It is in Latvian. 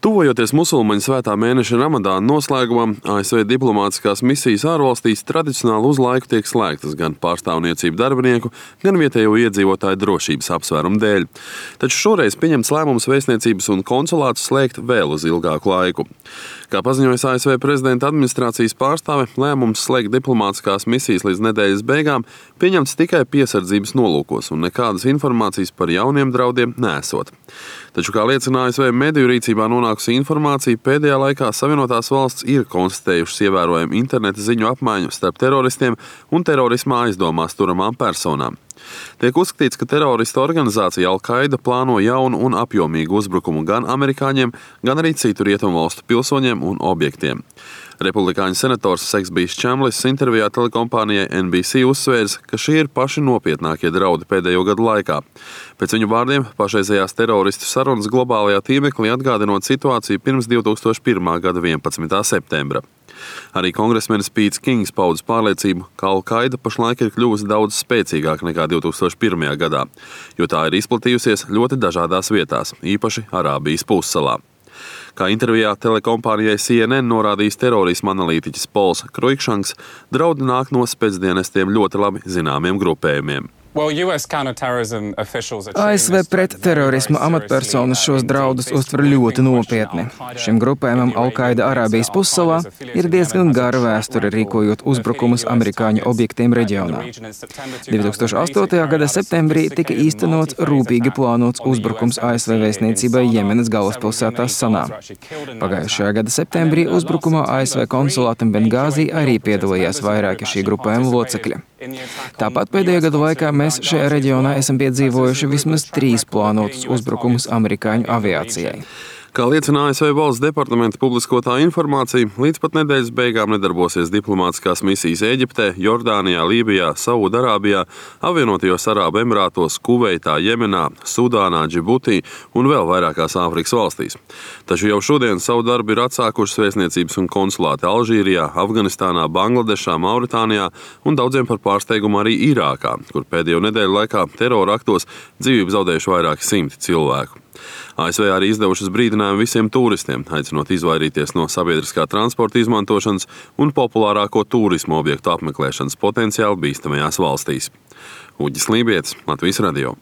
Tuvojoties musulmaņu svētā mēneša Ramadāna noslēgumam, ASV diplomātiskās misijas ārvalstīs tradicionāli uz laiku tiek slēgtas gan pārstāvniecību darbinieku, gan vietējo iedzīvotāju drošības apsvērumu dēļ. Taču šoreiz pieņemts lēmums vēstniecības un konsulātus slēgt vēl uz ilgāku laiku. Kā paziņojas ASV prezidenta administrācijas pārstāve, lēmums slēgt diplomātiskās misijas līdz nedēļas beigām pieņemts tikai piesardzības nolūkos un nekādas informācijas par jauniem draudiem nesot. Taču, kā liecina ASV mediju rīcībā nonākusi informācija, pēdējā laikā Savienotās valsts ir konstatējušas ievērojumu interneta ziņu apmaiņu starp teroristiem un terorismā aizdomās turamām personām. Tiek uzskatīts, ka teroristu organizācija Al-Qaida plāno jaunu un apjomīgu uzbrukumu gan amerikāņiem, gan arī citu rietumvalstu pilsoņiem un objektiem. Republikāņu senators Sexbijs Čemlis intervijā telekompānijai NBC uzsvērs, ka šie ir paši nopietnākie draudi pēdējo gadu laikā. Pēc viņu vārdiem, pašreizējās teroristu sarunas globālajā tīmeklī atgādinot situāciju pirms 2001. gada 11. septembra. Arī kongresmenis Pīts Kings paudis pārliecību, ka Al-Qaida pašlaik ir kļuvusi daudz spēcīgāka nekā 2001. gadā, jo tā ir izplatījusies ļoti dažādās vietās, īpaši Arābijas pussalā. Kā intervijā telekompānijai CNN norādījis terorisma analītiķis Pols Kruikšanks, draudi nāk no spēcdienestiem ļoti labi zināmiem grupējumiem. ASV pretterorisma amatpersonas šos draudus uztver ļoti nopietni. Šim grupējumam Al-Qaida Arābijas pussalā ir diezgan gara vēsture rīkojot uzbrukumus amerikāņu objektiem reģionā. 2008. gada septembrī tika īstenots rūpīgi plānots uzbrukums ASV vēstniecībai Jemenas galvaspilsētā Sanā. Pagājušajā gada septembrī uzbrukumā ASV konsulātam Bengāzī arī piedalījās vairāki šī grupējuma locekļi. Tāpat pēdējo gadu laikā mēs šajā reģionā esam piedzīvojuši vismaz 3 plānotus uzbrukumus amerikāņu aviācijai. Kā liecina ASV valsts departamenta publiskotā informācija, līdz pat nedēļas beigām nedarbosies diplomātiskās misijas Ēģiptē, Jordānijā, Lībijā, Saudarābijā, Apvienotajos Arābu Emirātos, Kuveitā, Jemenā, Sudānā, Džibutī un vēl vairākās Āfrikas valstīs. Taču jau šodien savu darbu ir atsākušas vēstniecības un konsulāti Alžīrijā, Afganistānā, Bangladešā, Mauritānijā un daudziem par pārsteigumu arī Irākā, kur pēdējo nedēļu laikā terora aktos dzīvību zaudējuši vairāki simti cilvēku. ASV arī izdevušas brīdinājumu visiem turistiem, aicinot izvairīties no sabiedriskā transporta izmantošanas un populārāko turismu objektu apmeklēšanas potenciāli bīstamajās valstīs. Uģis Lībietis, Latvijas radio.